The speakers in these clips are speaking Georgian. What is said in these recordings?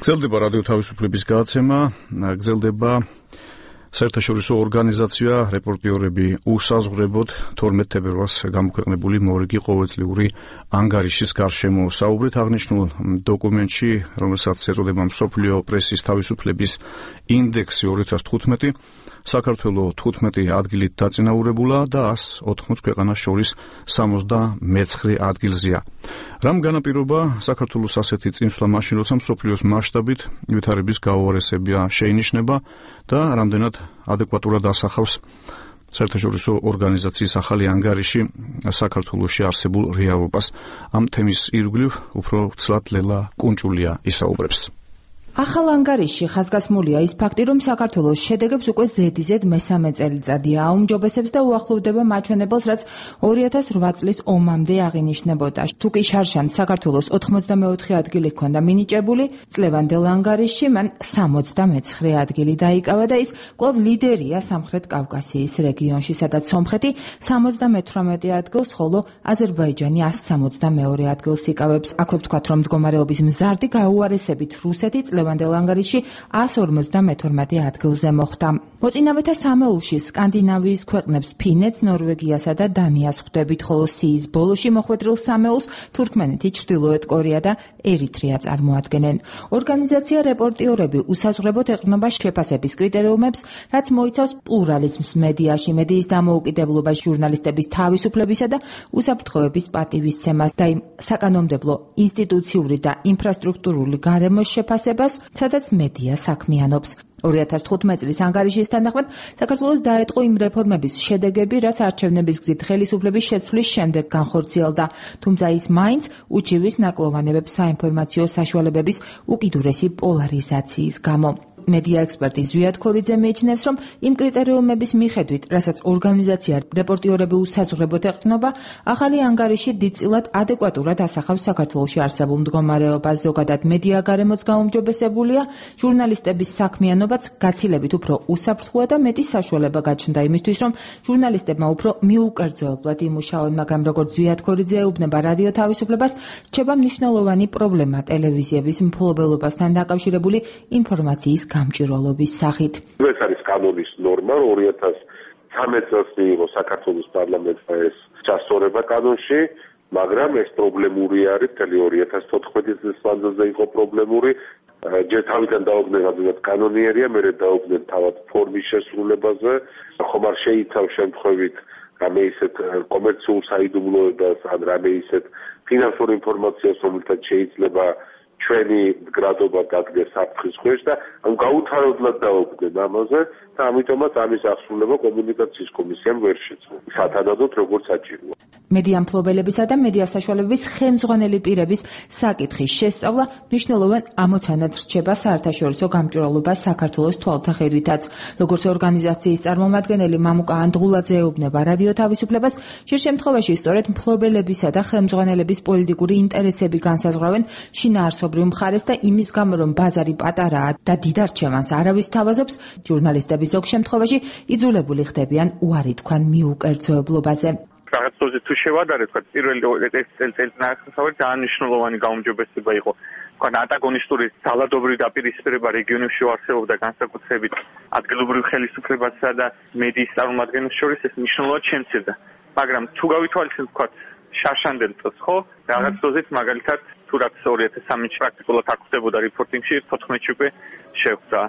გრძელდება რადიო თავისუფლების გადაცემა, გრძელდება საერთაშორისო ორგანიზაცია რეპორტიორები უსაზღვრებოდ 12 თებერვალს გამოქვეყნებული მორიგი ყოველწლიური ანგარიშის გარშემო საუბრით აღნიშნულ დოკუმენტში, რომელსაც ეწოდება მსოფლიო პრესის თავისუფლების ინდექსი 2015, საქართველოს 15 ადგილით დაწინაურებულა და 180 ქვეყანას შორის 79 ადგილზეა. რამ განაპირობა საქართველოს ასეთი წინსვლა მაშინ, როცა მსოფლიოს მასშტაბით ვითარების გაუარესება შეინიშნება და რამდენად ადეკვატურად ასახავს საერთაშორისო ორგანიზაციის ახალი ანგარიში საქართველოში არსებულ რეალობას. ამ თემის ირგვლივ უფრო ცლად ლელა კუნჭულია ისაუბრებს. ახალ ანგარიშში ხაზგასმულია ის ფაქტი, რომ საქართველოს შედეგებს უკვე ზედიზედ მესამე წელიწადია აუმჯობესებს და უახლოვდება მაჩვენებელს, რაც 2008 წლის ომამდე აღინიშნებოდა. თუკი შარშან საქართველოს 84 ადგილი ჰქონდა მინიჭებული, წლევანდელ ანგარიშში მან 79 ადგილი დაიკავა და ის კვლავ ლიდერია სამხრეთ კავკასიის რეგიონში, სადაც სომხეთი 78 ადგილს, ხოლო აზერბაიჯანი 162 ადგილს იკავებს. აქვე ვთქვათ, რომ მდგომარეობის მზარდი გაუარესებით რუსეთი ლევანდელ ანგარიში 152 ადგილზე მოხვდა. მოწინავეთა სამეულში სკანდინავიის ქვეყნებს ფინეთს, ნორვეგიასა და დანიას ხვდებით, ხოლო სიის ბოლოში მოხვედრილ სამეულს თურქმენეთი, ჩრდილოეთ კორეა და ერიტრეა წარმოადგენენ. ორგანიზაცია რეპორტიორები უსაზღვრებოდ ეყრდნობა შეფასების კრიტერიუმებს, რაც მოიცავს პლურალიზმს მედიაში, მედიის დამოუკიდებლობას, ჟურნალისტების თავისუფლებისა და უსაფრთხოების პატივისცემას და იმ საკანონმდებლო, ინსტიტუციური და ინფრასტრუქტურული გარემოს შეფასებას, სადაც მედია საქმიანობს. 2015 წლის ანგარიშის თანახმად საქართველოს დაეწყო იმ რეფორმების შედეგები, რაც არჩევნების გზით ხელისუფლების შეცვლის შემდეგ განხორციელდა, თუმცა ის მაინც უჩივის ნაკლოვანებებს საინფორმაციო საშუალებების უკიდურესი პოლარიზაციის გამო. მედია ექსპერტი ზვიად ქორიძე მიიჩნევს, რომ იმ კრიტერიუმების მიხედვით, რასაც ორგანიზაცია რეპორტიორები უსაზღვრებოდ ეყრდნობა, ახალი ანგარიში დიდწილად ადეკვატურად ასახავს საქართველოში არსებულ მდგომარეობას. ზოგადად მედია გარემოც გაუმჯობესებულია, ჟურნალისტების საქმიანობაც გაცილებით უფრო უსაფრთხოა და მეტი საშუალება გაჩნდა იმისთვის, რომ ჟურნალისტებმა უფრო მიუკერძოებლად იმუშაონ, მაგრამ როგორც ზვიად ქორიძე ეუბნება რადიო თავისუფლებას, რჩება მნიშვნელოვანი პრობლემა ტელევიზიების მფლობელობასთან დაკავშირებული ინფორმაციის გამჭირვალობის სახით. ეს არის კანონის ნორმა, 2013 წელს მიიღო საქართველოს პარლამენტმა ეს ჩასწორება კანონში, მაგრამ ეს პრობლემური არის, მთელი 2014 წლის მანძილზე იყო პრობლემური. ჯერ თავიდან დაუდგნენ რადგან კანონიერია, მერე დაუდგნენ თავად ფორმის შესრულებაზე, ხომ არ შეიცავს შემთხვევით რამე ისეთ კომერციულ საიდუმლოებას, ან რამე ისეთ ფინანსურ ინფორმაციას, რომელთაც შეიძლება ჩვენი მდგრადობა დადგეს საფრთხის ქვეშ და გაუთავებლად დაუდგნენ ამაზე და ამიტომაც ამის აღსრულება კომუნიკაციის კომისიამ ვერ შეძლო. სათანადოდ როგორც საჭიროა. მედია მფლობელებისა და მედია საშუალებების ხელმძღვანელი პირების საკითხის შესწავლა მნიშვნელოვან ამოცანად რჩება საერთაშორისო გამჭვირვალობას საქართველოს თვალთახედვითაც. როგორც ორგანიზაციის წარმომადგენელი მამუკა ანდღულაძე ეუბნება რადიო თავისუფლებას, ხშირ შემთხვევაში სწორედ მფლობელებისა და ხელმძღვანელების პოლიტიკური ინტერესები განსაზღვრავენ შინაარსობრივ მხარეს და იმის გამო, რომ ბაზარი პატარაა და დიდ არჩევანს არავის თავაზობს, ჟურნალისტები ზოგ შემთხვევაში იძულებული ხდებიან უარი თქვან მიუკერძოებლობაზე. რაღაცოზე თუ შევადარეთ, თქვა პირველი წელიწადში ძალიან მნიშვნელოვანი გაუმჯობესება იყო. თქვა ანტაგონისტური ძალადობრივი დაპირისპირება რეგიონებში არსებობდა განსაკუთრებით ადგილობრივ ხელისუფლებასა და მედიის წარმომადგენლებს შორის ეს მნიშვნელოვნად შემცირდა. მაგრამ თუ გავითვალისწინებთ, თქვა შარშანდელ წელს, ხო, რაღაც დოზით მაგალითად თუ რაც 2003 პრაქტიკულად აქ ხდებოდა რეპორტინგში, 14-ში უკვე შეხვდა.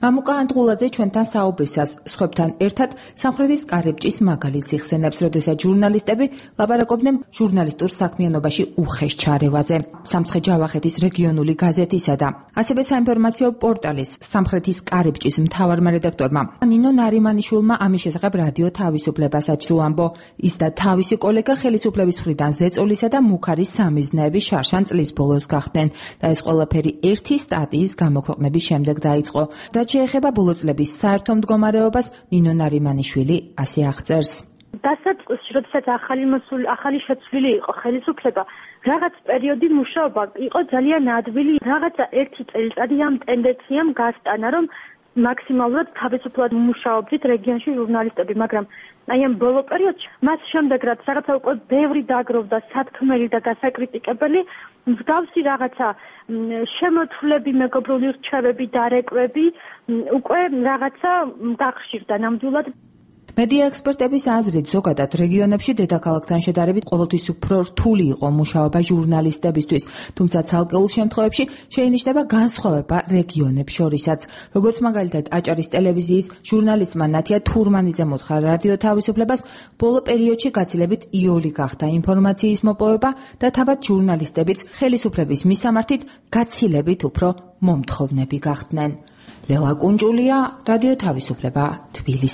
მამუკა ანდღულაძე ჩვენთან საუბრისას სხვებთან ერთად სამხრეთის კარიბჭის მაგალითს იხსენებს, როდესაც ჟურნალისტები ლაპარაკობდნენ ჟურნალისტურ საქმიანობაში უხეშ ჩარევაზე. სამცხე-ჯავახეთის რეგიონული გაზეთისა და ასევე საინფორმაციო პორტალის სამხრეთის კარიბჭის მთავარმა რედაქტორმა ნინო ნარიმანიშვილმა ამის შესახებ რადიო თავისუფლებასაც თუ ამბო. ის და თავისი კოლეგა ხელისუფლების მხრიდან ზეწოლისა და მუქარის სამიზნეები შარშან წლის ბოლოს გახდნენ და ეს ყველაფერი ერთი სტატიის გამოქვეყნების შემდეგ დაიწყო. შეეხება ბოლო წლების საერთო მდგომარეობას, ნინო ნარიმანიშვილი ასე აღწერს. დასაწყისში, როდესაც ახალი შეცვლილი იყო ხელისუფლება, რაღაც პერიოდი მუშაობა იყო ძალიან ადვილი, რაღაცა ერთი წელიწადი ამ ტენდენციამ გასტანა, რომ მაქსიმალურად თავისუფლად მუშაობდით რეგიონში ჟურნალისტები, მაგრამ აი ამ ბოლო პერიოდში მას შემდეგ რაც რაღაცა უკვე ბევრი დაგროვდა სათქმელი და გასაკრიტიკებელი, მსგავსი რაღაცა შემოთვლები, მეგობრული რჩევები, დარეკვები უკვე რაღაცა გახშირდა ნამდვილად. მედია ექსპერტების აზრით, ზოგადად რეგიონებში დედაქალაქთან შედარებით ყოველთვის უფრო რთული იყო მუშაობა ჟურნალისტებისთვის, თუმცა ცალკეულ შემთხვევებში შეინიშნება განსხვავება რეგიონებს შორისაც. როგორც მაგალითად აჭარის ტელევიზიის ჟურნალისტმა ნათია თურმანიძემ უთხრა რადიო თავისუფლებას, ბოლო პერიოდში გაცილებით იოლი გახდა ინფორმაციის მოპოვება და თავად ჟურნალისტებიც ხელისუფლების მისამართით გაცილებით უფრო მომთხოვნები გახდნენ. ლელა კუნჯულია, რადიო თავისუფლება, თბილისი.